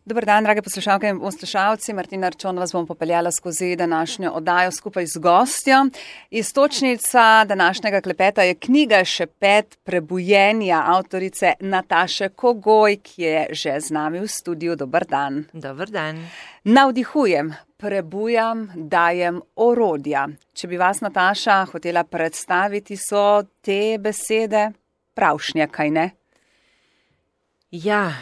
Dober dan, drage poslušalke in poslušalci. Martina Arčon vas bom popeljala skozi današnjo oddajo skupaj z gostjo. Iztočnica današnjega klepeta je knjiga Šepet prebujenja avtorice Nataše Kogoj, ki je že z nami v studiu. Dober dan. Dober dan. Navdihujem, prebujam, dajem orodja. Če bi vas, Nataša, hotela predstaviti, so te besede pravšnje, kaj ne? Ja,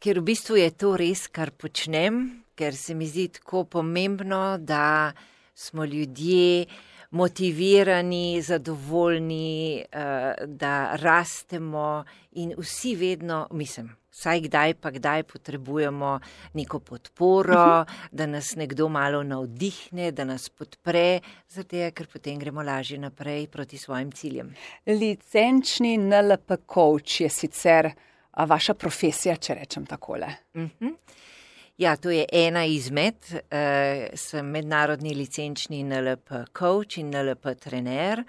ker v bistvu je to res, kar počnem, ker se mi zdi tako pomembno, da smo ljudje motivirani, zadovoljni, da rastemo in vsi vedno, vsaj kdaj pa kdaj potrebujemo neko podporo, da nas nekdo malo navdihne, da nas podpre, zato ker potem gremo lažje naprej proti svojim ciljem. Licenčni NLP coach je sicer vaša profesija, če rečem takole. Ja, to je ena izmed, sem mednarodni licenčni NLP coach in NLP trener,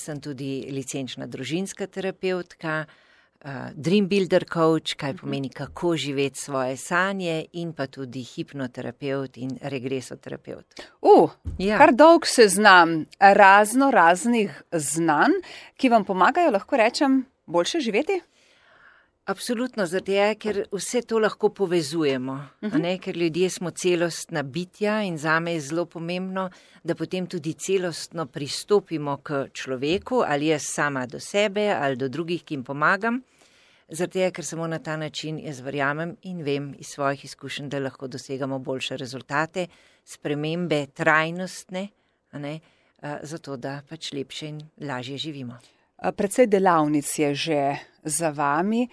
sem tudi licenčna družinska terapevtka, dream builder coach, kaj pomeni kako živeti svoje sanje, in pa tudi hipnoterapeut in regresoterapeut. Ja. Kar dolg seznam raznih znanj, ki vam pomagajo, lahko rečem, boljše živeti? Absolutno, zato ker vse to lahko povezujemo, ker ljudje smo celostna bitja in zame je zelo pomembno, da potem tudi celostno pristopimo k človeku, ali jaz sama do sebe ali do drugih, ki jim pomagam, zato ker samo na ta način jaz verjamem in vem iz svojih izkušenj, da lahko dosegamo boljše rezultate, spremembe trajnostne, zato da pač lepše in lažje živimo. Precej delavnic je že za vami.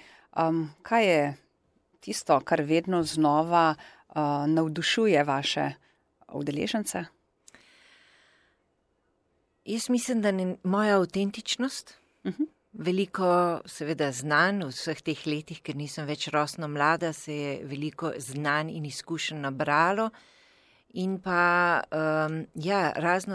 Kaj je tisto, kar vedno znova navdušuje vaše udeležence? Jaz mislim, da moja avtentičnost, veliko seveda znanj v vseh teh letih, ker nisem več rosno mlada, se je veliko znanj in izkušenj nabralo in pa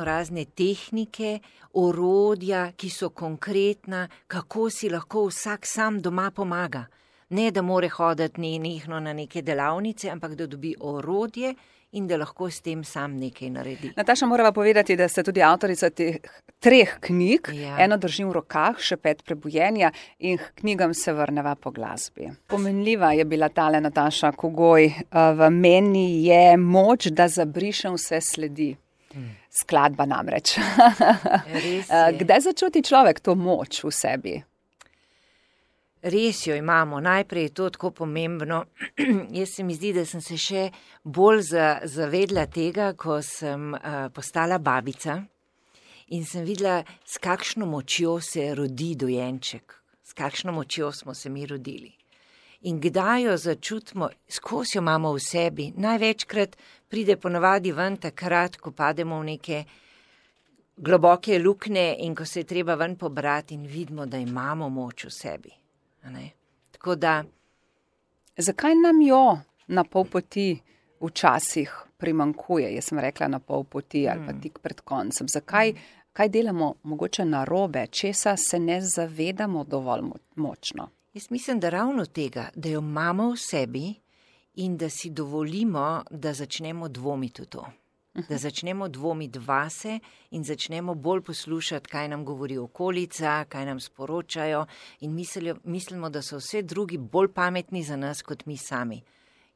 razne tehnike, orodja, ki so konkretna, kako si lahko vsak sam doma pomaga. Ne, da more hoditi nenehno na neke delavnice, ampak da dobi orodje in da lahko s tem sam nekaj naredi. Nataša, morava povedati, da ste tudi avtorica teh 3 knjig. Ja. Eno držim v rokah, Šepet prebujenja, in k knjigam se vrneva po glasbi. Pomenljiva je bila tale Nataša Kogoj. V meni je moč, da zabrišem vse sledi. Skladba namreč. Kdaj začuti človek to moč v sebi? Res jo imamo. Najprej je to tako pomembno. Jaz se mi zdi, da sem se še bolj zavedla tega, ko sem postala babica in sem videla, s kakšno močjo se rodi dojenček, s kakšno močjo smo se mi rodili. In kdaj jo začutimo, skozi jo imamo v sebi. Največkrat pride ponavadi ven takrat, ko pademo v neke globoke luknje in ko se je treba ven pobrati in vidimo, da imamo moč v sebi. Tako da. Zakaj nam jo na pol poti včasih primanjkuje? Jaz sem rekla na pol poti ali pa tik pred koncem. Kaj delamo mogoče narobe, česa se ne zavedamo dovolj močno? Jaz mislim, da ravno tega, da jo imamo v sebi in da si dovolimo, da začnemo dvomiti v to. Da začnemo dvomiti vase in začnemo bolj poslušati, kaj nam govori okolica, kaj nam sporočajo in mislimo, da so vse drugi bolj pametni za nas kot mi sami.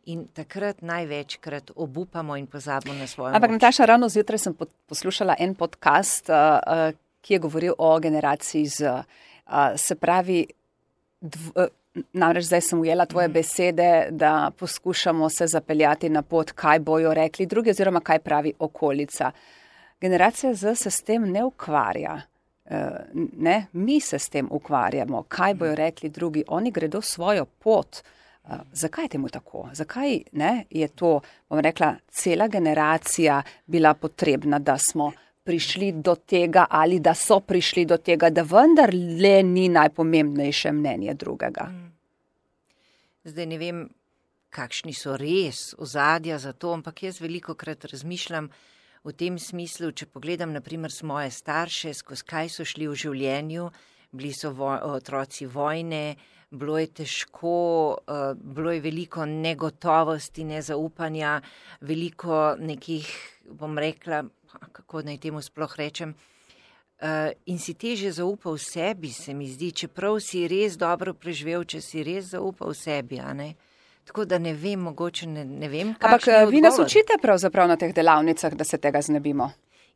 In takrat največkrat obupamo in pozabimo na svojo moč. Ampak Nataša, ravno zjutraj sem poslušala en podcast, ki je govoril o generaciji Z. Se pravi, namreč zdaj sem ujela tvoje besede, da poskušamo se zapeljati na pot, kaj bojo rekli drugi oziroma kaj pravi okolica. Generacija Z se s tem ne ukvarja. Mi se s tem ukvarjamo, kaj bojo rekli drugi. Oni gredo svojo pot. Zakaj je temu tako? Zakaj je to, bom rekla, cela generacija bila potrebna, da smo prišli do tega ali da so prišli do tega, da vendar le ni najpomembnejše mnenje drugega? Zdaj ne vem, kakšni so res ozadja za to, ampak jaz velikokrat razmišljam v tem smislu, če pogledam naprimer moje starše, skozi kaj so šli v življenju, bili so otroci vojne, bilo je težko, bilo je veliko negotovosti, nezaupanja, veliko nekih, bom rekla, kako naj temu sploh rečem, in si teže zaupal v sebi, se mi zdi, čeprav si res dobro preživel, če si res zaupal v sebi, a ne? Tako da ne vem, mogoče ne vem, kakšen je odgovor. Ampak vi nas učite pravzaprav na teh delavnicah, da se tega znebimo.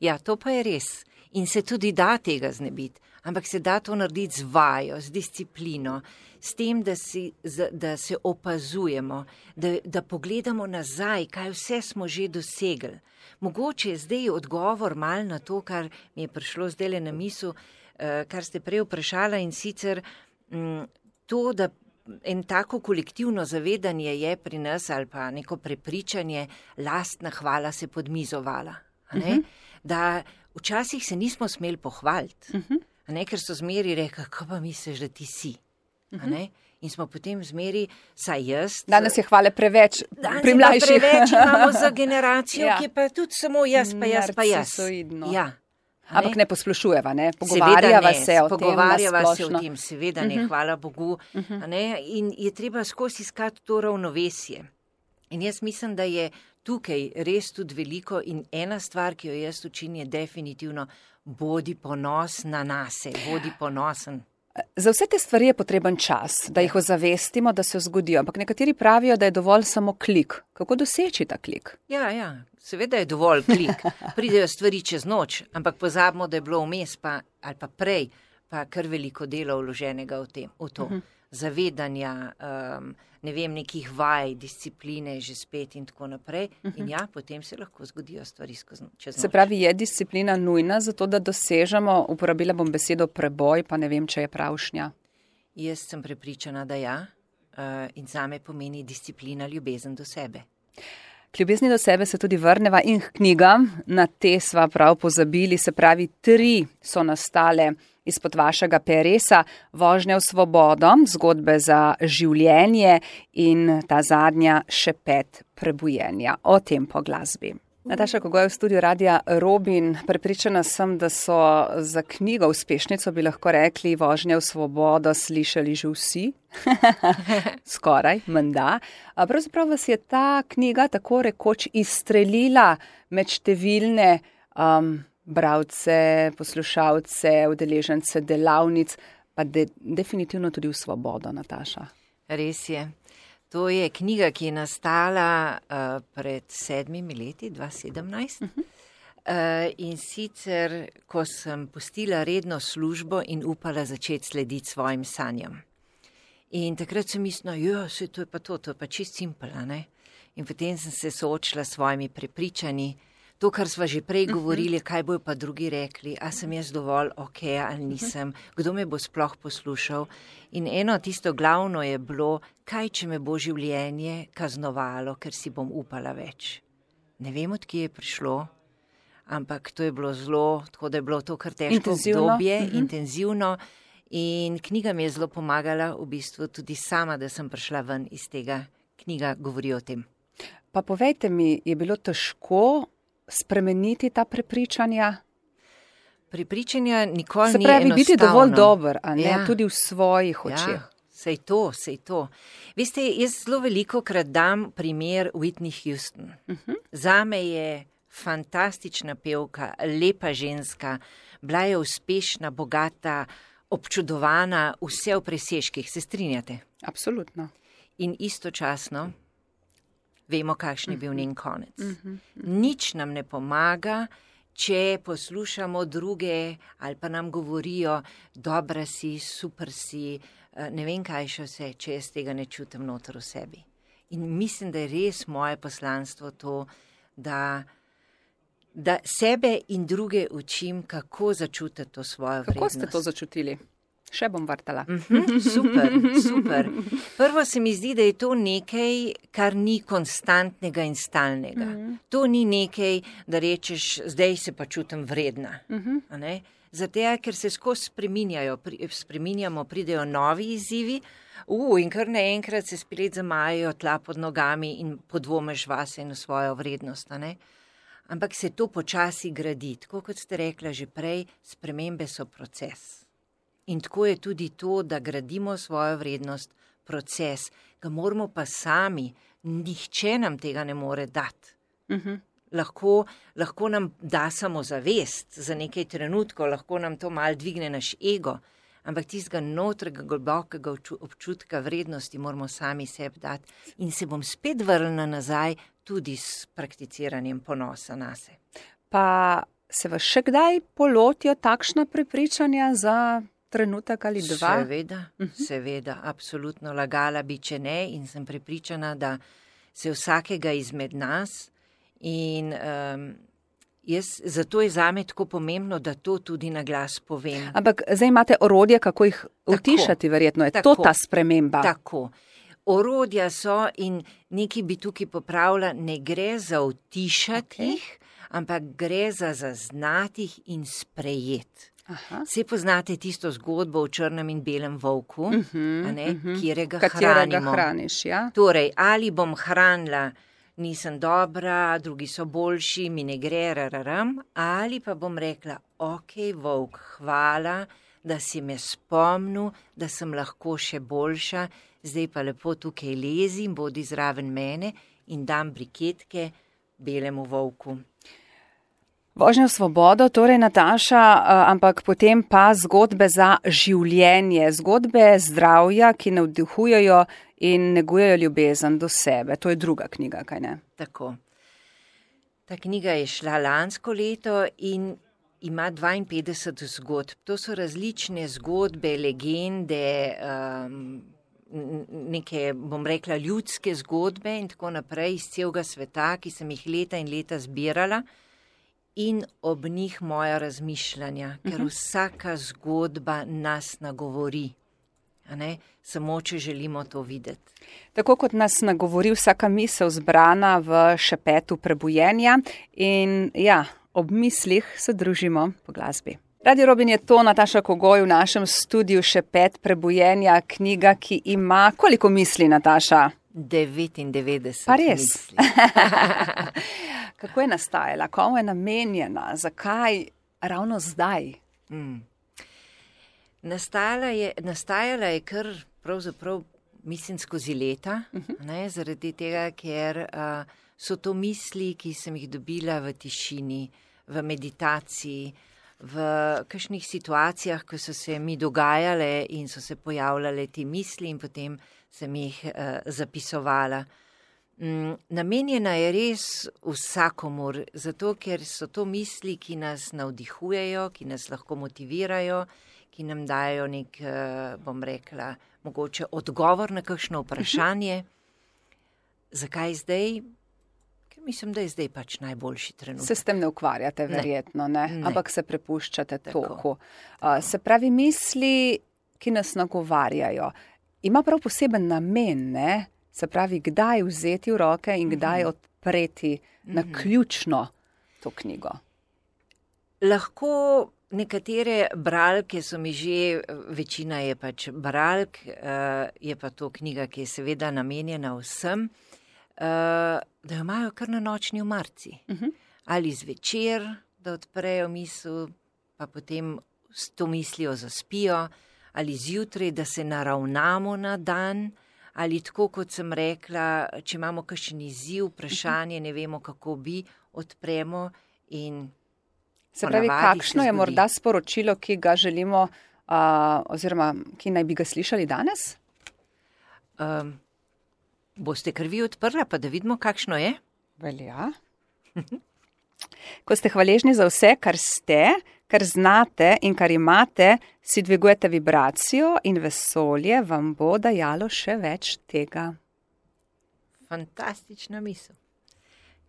Ja, to pa je res. In se tudi da tega znebiti. Ampak se da to narediti z vajo, z disciplino, s tem, da se opazujemo, da pogledamo nazaj, kaj vse smo že dosegli. Mogoče je zdaj odgovor mal na to, kar mi je prišlo zdajle na misel, kar ste prej vprašala, in sicer to, da en tako kolektivno zavedanje je pri nas ali pa neko prepričanje, lastna hvala se podmizovala. Da včasih se nismo smeli pohvaliti, ker so zmeri rekli, kako pa misliš, da ti si. In smo potem zmeri, saj jaz. Danes je hvale preveč pri mlajših. Preveč imamo za generacijo, ki je pa tudi samo jaz, pa jaz, pa jaz. Ja. Ampak ne poslušujeva, ne? Pogovarjava se o tem, seveda ne, hvala Bogu. In je treba skozi iskati to ravnovesje. In jaz mislim, da je tukaj res tudi veliko in ena stvar, ki jo jaz učim, je definitivno bodi ponosna nase, bodi ponosen. Za vse te stvari je potreben čas, da jih ozavestimo, da se zgodijo. Ampak nekateri pravijo, da je dovolj samo klik. Kako doseči ta klik? Ja, seveda je dovolj klik. Pridejo stvari čez noč, ampak pozabimo, da je bilo vmes ali pa prej, pa kar veliko dela vloženega v to. Zavedanja, ne vem, nekih vaj, discipline, že spet in tako naprej. In ja, potem se lahko zgodijo stvari čez noč. Se pravi, je disciplina nujna za to, da dosežemo, uporabila bom besedo preboj, pa ne vem, če je pravšnja. Jaz sem prepričana, da ja, in zame pomeni disciplina ljubezen do sebe. K ljubezni do sebe se tudi vrneva in k knjigam, na te sva prav pozabili, se pravi 3 so nastale izpod vašega peresa, Vožnja v svobodo, zgodbe za življenje in ta zadnja Šepet prebujenja. O tem po glasbi. Nataša Kogoj v studiu Radia Robin. Prepričana sem, da so za knjigo uspešnico, bi lahko rekli, Vožnja v svobodo slišali že vsi. Skoraj, menda. Pravzaprav vas je ta knjiga tako rekoč izstrelila med številne bralce, poslušalce, udeležence delavnic, pa definitivno tudi v svobodo, Nataša. Res je. To je knjiga, ki je nastala pred 7 leti, 2017. In sicer, ko sem pustila redno službo in upala začeti slediti svojim sanjam. In takrat sem mislila, to je pa to je pa čist simpel, ne? In potem sem se soočila s svojimi prepričanji. To, kar sva že prej govorili, kaj bojo pa drugi rekli, a sem jaz dovolj ok ali nisem, kdo me bo sploh poslušal. In eno tisto glavno je bilo, kaj če me bo življenje kaznovalo, ker si bom upala več. Ne vem, od kje je prišlo, ampak to je bilo zelo, tako da je bilo to kar težko obdobje, intenzivno. In knjiga mi je zelo pomagala, v bistvu tudi sama, da sem prišla ven iz tega. Knjiga govori o tem. Pa povejte mi, je bilo težko spremeniti ta prepričanja? Prepričanja nikoli ni enostavno. Se pravi, biti dovolj dober, a ne, tudi v svojih očeh. Ja, sej to. Veste, jaz zelo veliko krat dam primer Whitney Houston. Zame je fantastična pevka, lepa ženska, bila je uspešna, bogata, občudovana, vse v presežkih. Se strinjate? Absolutno. In istočasno vemo, kakšen je bil njen konec. Nič nam ne pomaga, če poslušamo druge ali pa nam govorijo, dobra si, super si, ne vem kaj še vse, če jaz tega ne čutim noter v sebi. In mislim, da je res moje poslanstvo to, da sebe in druge učim, kako začutiti to svojo vrednost. Kako ste to začutili? Še bom vrtala. Super. Prvo se mi zdi, da je to nekaj, kar ni konstantnega in stalnega. To ni nekaj, da rečeš, zdaj se pa čutim vredna. Zato, ker se skozi spreminjamo, pridejo novi izzivi, in kar naenkrat se spet zamajajo tla pod nogami in podvomeš vase in v svojo vrednost. Ampak se to počasi gradi. Tako kot ste rekla že prej, spremembe so proces. In tako je tudi to, da gradimo svojo vrednost, proces, ga moramo pa sami, nihče nam tega ne more dati. Lahko nam da samozavest za nekaj trenutkov, lahko nam to malo dvigne naš ego, ampak tistega notrega globokega občutka vrednosti moramo sami sebi dati in se bom spet vrnila nazaj tudi s prakticiranjem ponosa nase. Pa se vas še kdaj polotijo takšna prepričanja za trenutek ali dva? Seveda, absolutno lagala bi, če ne, in sem prepričana, da se vsakega izmed nas in zato je zame tako pomembno, da to tudi na glas povem. Ampak zdaj imate orodje, kako jih utišati, verjetno je to ta sprememba. Tako. Orodja so in nekaj bi tukaj popravila, ne gre za utišati jih, ampak gre za zaznati jih in sprejeti. Vsi poznate tisto zgodbo o črnem in belem volku, katerega hraniš, ja? Torej, ali bom hranila, nisem dobra, drugi so boljši, mi ne gre, ali pa bom rekla, ok, volk, hvala, da si me spomnil, da sem lahko še boljša, zdaj pa lepo tukaj lezim, bodi zraven mene in dam briketke belemu volku. Vožnja v svobodo, torej Nataša, ampak potem pa zgodbe za življenje, zgodbe zdravja, ki navdihujejo in negujejo ljubezen do sebe. To je druga knjiga, kaj ne? Tako. Ta knjiga je šla lansko leto in ima 52 zgodb. To so različne zgodbe, legende, neke, bom rekla, ljudske zgodbe in tako naprej iz celega sveta, ki sem jih leta in leta zbirala. In ob njih moja razmišljanja, ker vsaka zgodba nas nagovori, samo če želimo to videti. Tako kot nas nagovori vsaka misel zbrana v šepetu prebujenja in ja, ob mislih se družimo po glasbi. Radio Robin je to, Nataša Kogoj v našem studiu Šepet prebujenja, knjiga, ki ima koliko misli, Nataša? 99 pa res? Misli. Kako je nastajala? Komu je namenjena? Zakaj ravno zdaj? Nastajala je kar pravzaprav, mislim, skozi leta, zaradi tega, ker so to misli, ki sem jih dobila v tišini, v meditaciji, v kakšnih situacijah, ko so se mi dogajale in so se pojavljale te misli in potem sem jih zapisovala. Namenjena je res vsakomur, zato ker so to misli, ki nas navdihujejo, ki nas lahko motivirajo, ki nam dajo nek, bom rekla, mogoče odgovor na kakšno vprašanje. Zakaj zdaj? Ker mislim, da je zdaj pač najboljši trenutek. Se s tem ne ukvarjate, verjetno, ne? Ampak se prepuščate toku. Se pravi, misli, ki nas nagovarjajo, ima prav poseben namen, ne? Se pravi, kdaj vzeti v roke in kdaj odpreti na ključno to knjigo? Lahko nekatere bralke so mi že, večina je pač bralk, je pa to knjiga, ki je seveda namenjena vsem, da jo imajo kar na nočni omarci. Ali zvečer, da odprejo misel, pa potem s to mislijo zaspijo, ali zjutraj, da se naravnamo na dan, ali tako, kot sem rekla, če imamo kakšen izziv, vprašanje, ne vemo, kako bi, odpremo in se pravi, kakšno je morda sporočilo, ki ga želimo, oziroma ki naj bi ga slišali danes? Boste kar vi odprla, pa da vidimo, kakšno je? Velja. Ko ste hvaležni za vse, kar ste, kar znate in kar imate, si dvigujete vibracijo in vesolje vam bo dajalo še več tega. Fantastična misel.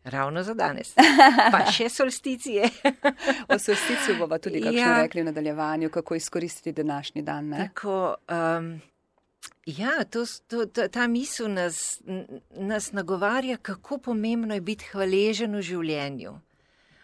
Ravno za danes. Pa še solsticije. O solsticiju bova tudi kakšno rekli v nadaljevanju, kako izkoristiti današnji dan. Ne? Tako, ta misel nas nagovarja, kako pomembno je biti hvaležen v življenju.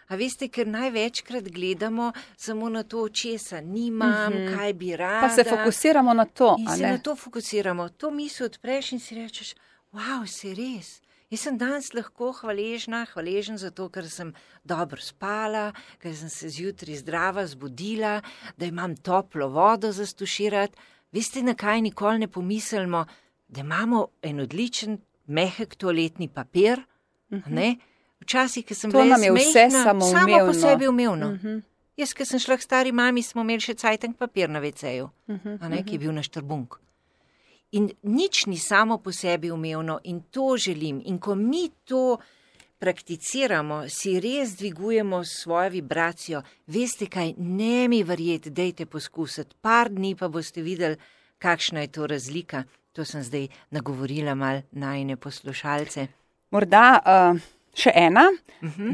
A veste, ker največkrat gledamo samo na to, česa nimam, kaj bi rada. Pa se fokusiramo na to, in se na to fokusiramo. To misel odpreš in si rečeš, wow, se res, Jaz sem danes lahko hvaležen za to, ker sem dobro spala, ker sem se zjutraj zdrava zbudila, da imam toplo vodo za stuširati. Veste, na kaj nikoli ne pomislimo, da imamo en odličen, mehek toaletni papir, ne? Včasih, ko sem bila smešna, samo po sebi umevno. Jaz, ko sem šla k stari mami, smo imeli še cajtank papir na WC-ju, ki je bil naš trbunk. In nič ni samo po sebi umevno in to želim. In ko mi to prakticiramo, si res dvigujemo svojo vibracijo. Veste kaj, ne mi verjeti, dejte poskusiti. Par dni pa boste videli, kakšna je to razlika. To sem zdaj nagovorila mal najine poslušalce. Morda še ena.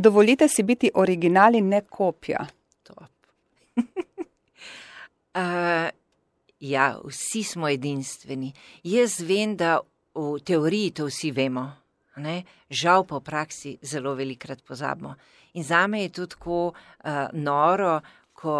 Dovolite si biti original in ne kopija. Top. Ja, vsi smo edinstveni. Jaz vem, da v teoriji to vsi vemo. Ne? Žal pa v praksi zelo velikrat pozabimo. In zame je to tako noro, ko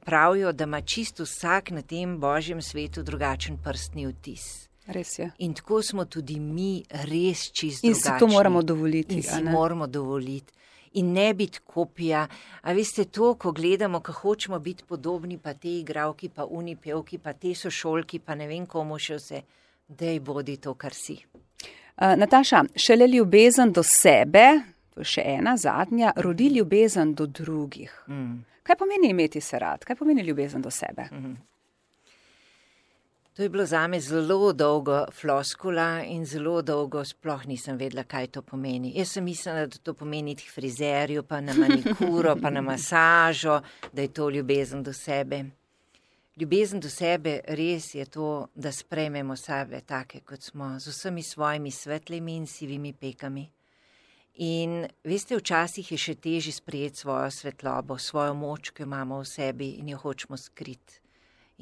pravijo, da ima čisto vsak na tem božjem svetu drugačen prstni odtis. Res je. In tako smo tudi mi res čisto drugačni. In si to moramo dovoliti. In si moramo dovoliti. In ne biti kopija. A veste to, ko gledamo, ko hočemo biti podobni, pa te igravki, pa uni pevki, pa te sošolki, pa ne vem komu še vse. Dej bodi to, kar si. Nataša, šele ljubezen do sebe, to je še ena, zadnja, rodi ljubezen do drugih. Kaj pomeni imeti se rad? Kaj pomeni ljubezen do sebe? To je bilo zame zelo dolgo floskula in zelo dolgo sploh nisem vedela, kaj to pomeni. Jaz sem mislila, da to pomeni iti k frizerju, pa na manikuro, pa na masažo, da je to ljubezen do sebe. Ljubezen do sebe res je to, da sprejmemo sebe take, kot smo, z vsemi svojimi svetlimi in sivimi pekami. In veste, včasih je še težje sprejeti svojo svetlobo, svojo moč, ki jo imamo v sebi in jo hočemo skriti.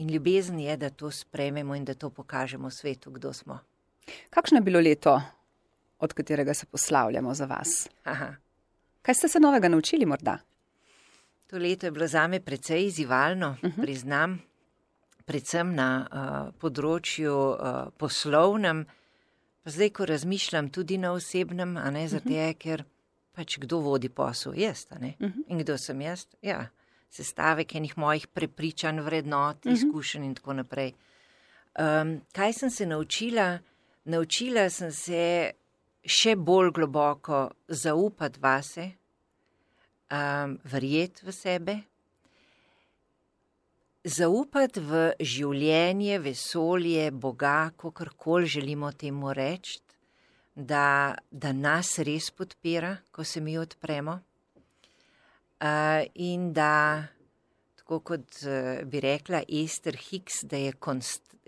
In ljubezen je, da to sprejmemo in da to pokažemo svetu, kdo smo. Kakšno je bilo leto, od katerega se poslavljamo za vas? Kaj ste se novega naučili morda? To leto je bilo zame precej izzivalno, priznam, predvsem na področju poslovnem, pa zdaj, ko razmišljam tudi na osebnem, a ne zato, ker pač kdo vodi posel, jaz, a ne? In kdo sem jaz? Ja. Sestavek enih mojih prepričanj, vrednot, izkušenj in tako naprej. Kaj sem se naučila? Naučila sem se še bolj globoko zaupati vase, verjeti v sebe, zaupati v življenje, vesolje, Boga, kakorkoli želimo temu reči, da nas res podpira, ko se mi odpremo. In da, tako kot bi rekla Ester Hicks, da je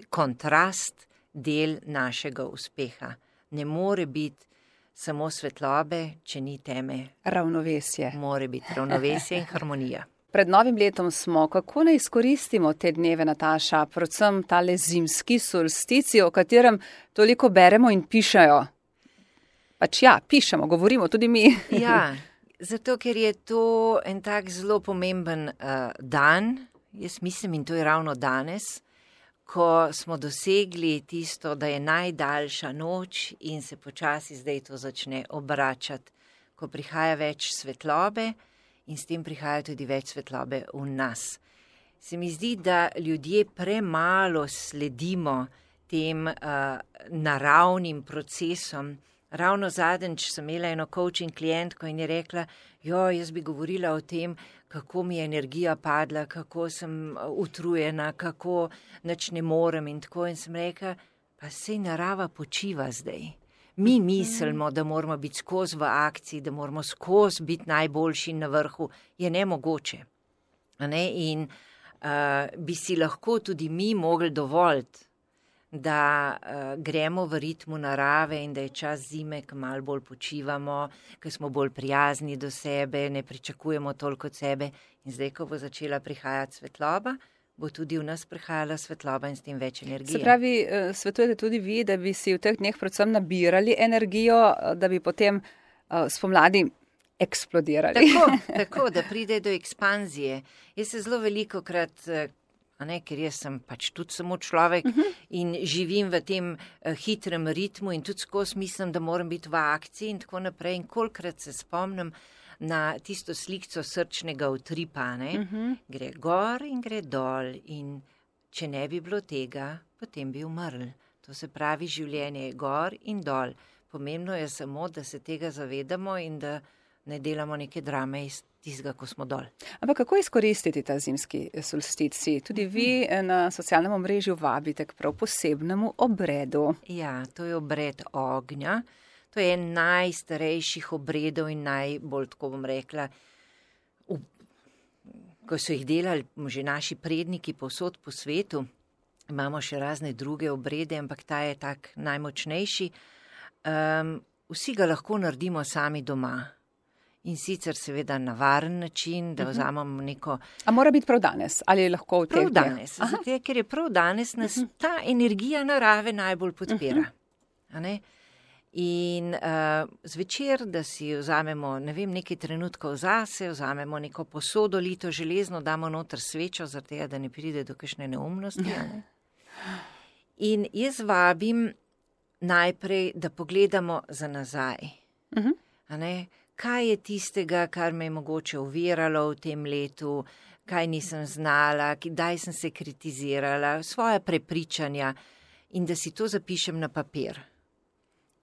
kontrast del našega uspeha. Ne more biti samo svetlobe, če ni teme. Ravnovesje. More biti ravnovesje in harmonija. Pred novim letom smo, kako ne izkoristimo te dneve, Nataša, predvsem tale zimski solstici, o katerem toliko beremo in pišejo. Pač ja, pišemo, govorimo tudi mi. Ja. Zato, ker je to en tak zelo pomemben dan, jaz mislim, in to je ravno danes, ko smo dosegli tisto, da je najdaljša noč in se počasi zdaj to začne obračati, ko prihaja več svetlobe in s tem prihaja tudi več svetlobe v nas. Se mi zdi, da ljudje premalo sledimo tem naravnim procesom. Ravno zadnjič sem imela eno coaching klientko in je rekla, jaz bi govorila o tem, kako mi je energija padla, kako sem utrujena, kako nič ne morem in tako. In sem rekla, pa sej narava počiva zdaj. Mi mislimo, da moramo biti skozi v akciji, da moramo skozi biti najboljši na vrhu. Je nemogoče. In bi si lahko tudi mi mogli dovoliti, da gremo v ritmu narave in da je čas zime, ko malo bolj počivamo, ko smo bolj prijazni do sebe, ne pričakujemo toliko od sebe. In zdaj, ko bo začela prihajati svetloba, bo tudi v nas prihajala svetloba in s tem več energije. Se pravi, svetujete tudi vi, da bi si v teh dneh predvsem nabirali energijo, da bi potem spomladi eksplodirali. Tako, da pride do ekspanzije. Jaz se zelo velikokrat ker jaz sem pač tudi samo človek in živim v tem hitrem ritmu in tudi skozi mislim, da moram biti v akciji in tako naprej. In kolikrat se spomnim na tisto slikco srčnega utripa, gre gor in gre dol in če ne bi bilo tega, potem bi umrl. To se pravi, življenje je gor in dol. Pomembno je samo, da se tega zavedamo in da ne delamo neke drame iz tistega, ko smo dol. Ampak kako izkoristiti ta zimski solsticij? Tudi vi na socialnem omrežju vabite k prav posebnemu obredu. Ja, to je obred ognja. To je en najstarejših obredov in najbolj, tako bom rekla, ko so jih delali že naši predniki povsod po svetu. Imamo še razne druge obrede, ampak ta je tak najmočnejši. Vsi ga lahko naredimo sami doma. In sicer seveda na varen način, da vzamemo neko... A mora biti prav danes? Ali lahko v teh dneh? Prav danes, zato, ker je prav danes nas ta energija narave najbolj podpira. In zvečer, da si vzamemo, nekaj trenutkov zase, vzamemo neko posodo lito železno, damo noter svečo, zato da ne pride do kakšne neumnosti. In jaz vabim najprej, da pogledamo za nazaj. Kaj je tistega, kar me je mogoče oviralo v tem letu, kaj nisem znala, kdaj sem se kritizirala, svoja prepričanja in da si to zapišem na papir.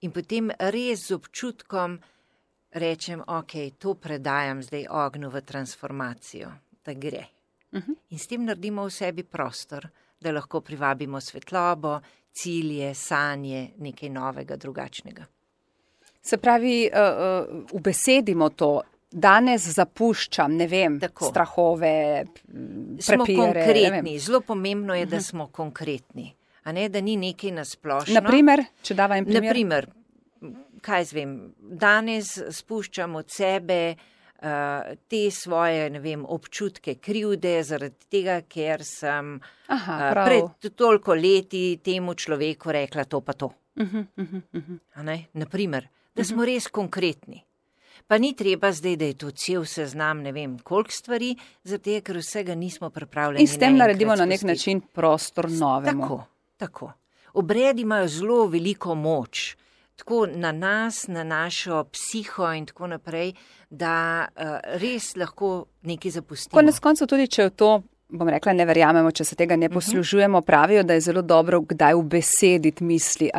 In potem res z občutkom rečem, to predajam zdaj ognju v transformacijo, da gre. In s tem naredimo v sebi prostor, da lahko privabimo svetlobo, cilje, sanje, nekaj novega, drugačnega. Se pravi, ubesedimo to, danes zapuščam, strahove, prepire. Smo konkretni, zelo pomembno je, da smo konkretni, da ni nekaj nasplošno. Naprimer, če dava en primer. Naprimer, kaj zvem, danes spuščam od sebe te svoje, občutke krivde, zaradi tega, ker sem pred toliko leti temu človeku rekla to pa to. Naprimer, da smo res konkretni. Pa ni treba zdaj, da je to cel seznam, koliko stvari, zato ker vsega nismo pripravljeni. In s tem naredimo na nek način prostor novemu. Tako. Obredi imajo zelo veliko moč, tako na nas, na našo psiho in tako naprej, da res lahko nekaj zapustimo. Konec koncev tudi, če v to, bom rekla, ne verjamemo, če se tega ne poslužujemo, pravijo, da je zelo dobro kdaj ubesediti misli,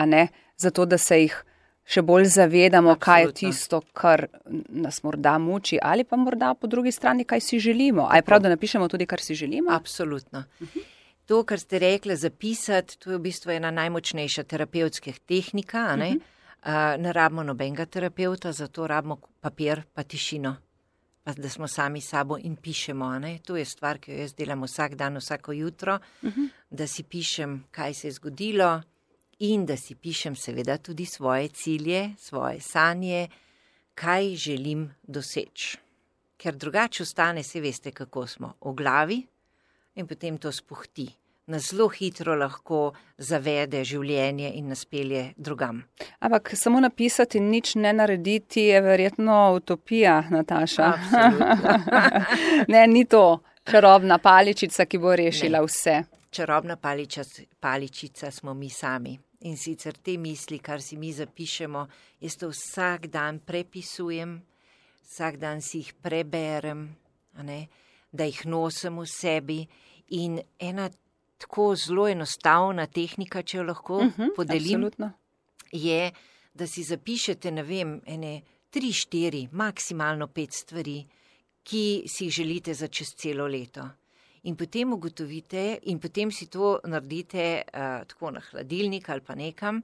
zato da se jih še bolj zavedamo, kaj je tisto, kar nas morda muči, ali pa morda po drugi strani, kaj si želimo. A je prav, da napišemo tudi, kar si želimo? Absolutno. To, kar ste rekli, zapisati, to je v bistvu ena najmočnejša terapevtskih tehnika. Ne rabimo nobenega terapeuta, zato rabimo papir pa tišino, pa da smo sami sabo in pišemo. To je stvar, ki jo jaz delam vsak dan, vsako jutro, da si pišem, kaj se je zgodilo, in da si pišem seveda tudi svoje cilje, svoje sanje, kaj želim doseči. Ker drugače ostane, se veste, kako smo v glavi in potem to spuhti. Nas zelo hitro lahko zavede življenje in nas pelje drugam. Ampak samo napisati in nič ne narediti je verjetno utopija, Nataša. Ne, ni to čarobna paličica, ki bo rešila vse. Čarobna paličica smo mi sami. In sicer te misli, kar si mi zapišemo, jaz to vsak dan prepisujem, vsak dan si jih preberem, da jih nosim v sebi. In ena tako zelo enostavna tehnika, če jo lahko podelim, je, da si zapišete, ene 3-4, maksimalno 5 stvari, ki si jih želite za čez celo leto. In potem ugotovite in potem si to naredite tako na hladilnik ali pa nekam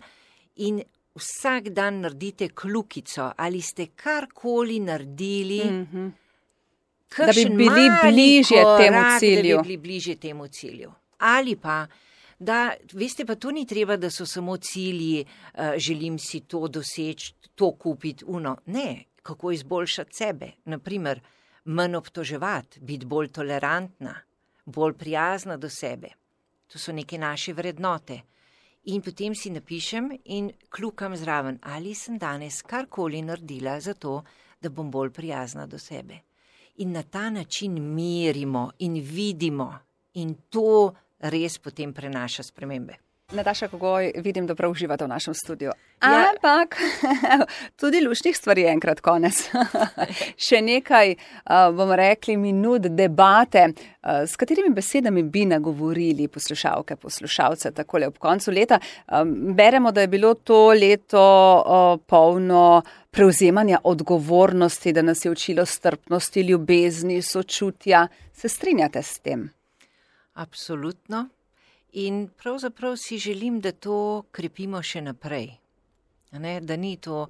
in vsak dan naredite kljukico, ali ste karkoli naredili, da bi bili bližje temu cilju. Da bi bili bližje temu cilju. Ali pa, da, veste, pa to ni treba, da so samo cilji, želim si to doseči, to kupiti, Ne, kako izboljšati sebe. Naprimer, manj obtoževati, biti bolj tolerantna, bolj prijazna do sebe. To so neke naše vrednote. In potem si napišem in kljukam zraven, ali sem danes karkoli naredila za to, da bom bolj prijazna do sebe. In na ta način merimo in vidimo, In to res potem prenaša spremembe. Nataša Kogoj, vidim, da prav uživate v našem studiu. Ja. Ampak tudi luštnih stvari je enkrat konec. Še nekaj, bomo rekli, minut debate. S katerimi besedami bi nagovorili poslušalke, poslušalce takole ob koncu leta? Beremo, da je bilo to leto polno prevzemanja odgovornosti, da nas je učilo strpnosti, ljubezni, sočutja. Se strinjate s tem? Absolutno. In pravzaprav si želim, da to krepimo še naprej. Da ni to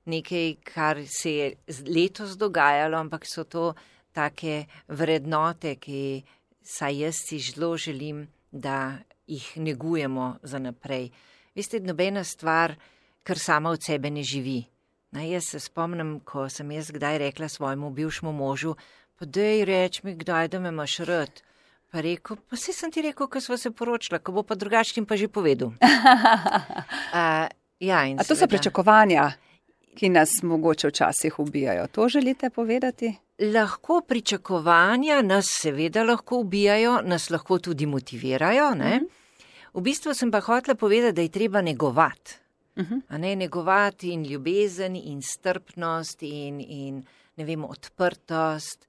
nekaj, kar se je letos dogajalo, ampak so to take vrednote, ki saj jaz si zelo želim, da jih negujemo za naprej. Veste, nobena stvar, kar sama od sebe ne živi. Jaz se spomnim, ko sem jaz kdaj rekla svojemu bivšemu možu, pa daj reč mi kdaj, da me imaš rad. Pa rekel, pa saj sem ti rekel, ko sva se poročila, ko bo pa drugačnim pa že povedal. A to so pričakovanja, ki nas mogoče včasih ubijajo. To želite povedati? Lahko pričakovanja nas seveda lahko ubijajo, nas lahko tudi motivirajo. Ne? V bistvu sem pa hotela povedati, da je treba negovati. Negovati in ljubezen in strpnost in ne vem, odprtost,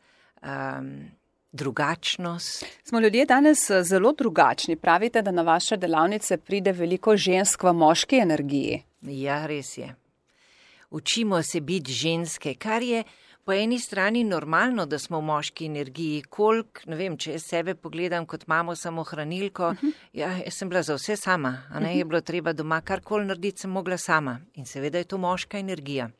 drugačnost. Smo ljudje danes zelo drugačni. Pravite, da na vaše delavnice pride veliko žensk v moški energiji. Ja, res je. Učimo se biti ženske, kar je po eni strani normalno, da smo v moški energiji. Ne vem, če jaz sebe pogledam kot mamo samohranilko, jaz sem bila za vse sama, je bilo treba doma karkoli narediti, sem mogla sama. In seveda je to moška energija.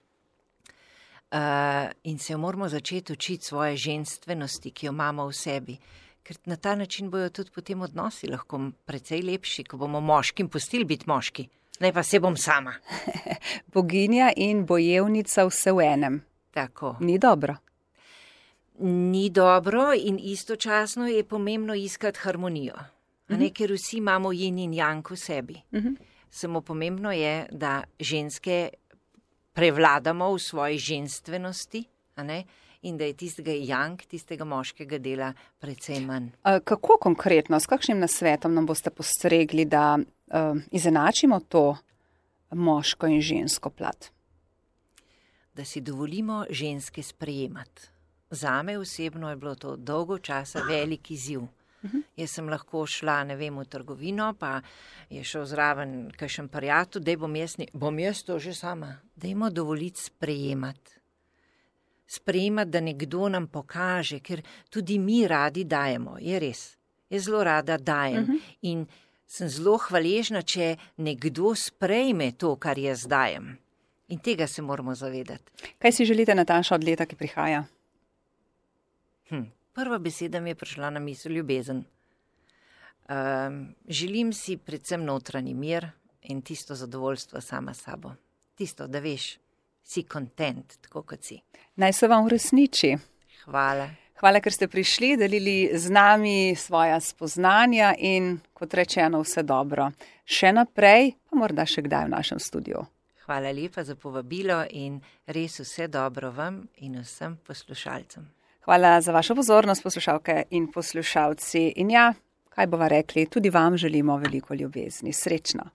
In se jo moramo začeti učiti svoje ženstvenosti, ki jo imamo v sebi. Ker na ta način bojo tudi potem odnosi lahko precej lepši, ko bomo moškim pustili biti moški. Ne pa se bom sama. Boginja in bojevnica vse v enem. Tako. Ni dobro. Ni dobro in istočasno je pomembno iskati harmonijo. Ker vsi imamo yin in yang v sebi. Samo pomembno je, da ženske prevladamo v svoji ženstvenosti, in da je tistega yang, tistega moškega dela precej manj. Kako konkretno, s kakšnim nasvetom nam boste postregli, da izenačimo to moško in žensko plat? Da si dovolimo ženske sprejemati. Zame osebno je bilo to dolgo časa velik izziv. Jaz sem lahko šla, ne vem, v trgovino, pa je šel zraven kakšen prijatelj, daj bom jaz to že sama. Dajmo dovoliti sprejemati. Sprejemati, da nekdo nam pokaže, ker tudi mi radi dajemo, je res. Jaz zelo rada dajem in sem zelo hvaležna, če nekdo sprejme to, kar jaz dajem. In tega se moramo zavedati. Kaj si želite, Nataša, od leta, ki prihaja? Prva beseda mi je prišla na misel ljubezen. Želim si predvsem notranji mir in tisto zadovoljstvo sama s sabo. Tisto, da veš, si kontent, tako kot si. Naj se vam uresniči. Hvala. Hvala, ker ste prišli, delili z nami svoja spoznanja in, kot rečeno, vse dobro. Še naprej, pa morda še kdaj v našem studiu. Hvala lepa za povabilo in res vse dobro vam in vsem poslušalcem. Hvala za vašo pozornost, poslušalke in poslušalci. In ja, kaj bova rekli, tudi vam želimo veliko ljubezni. Srečno.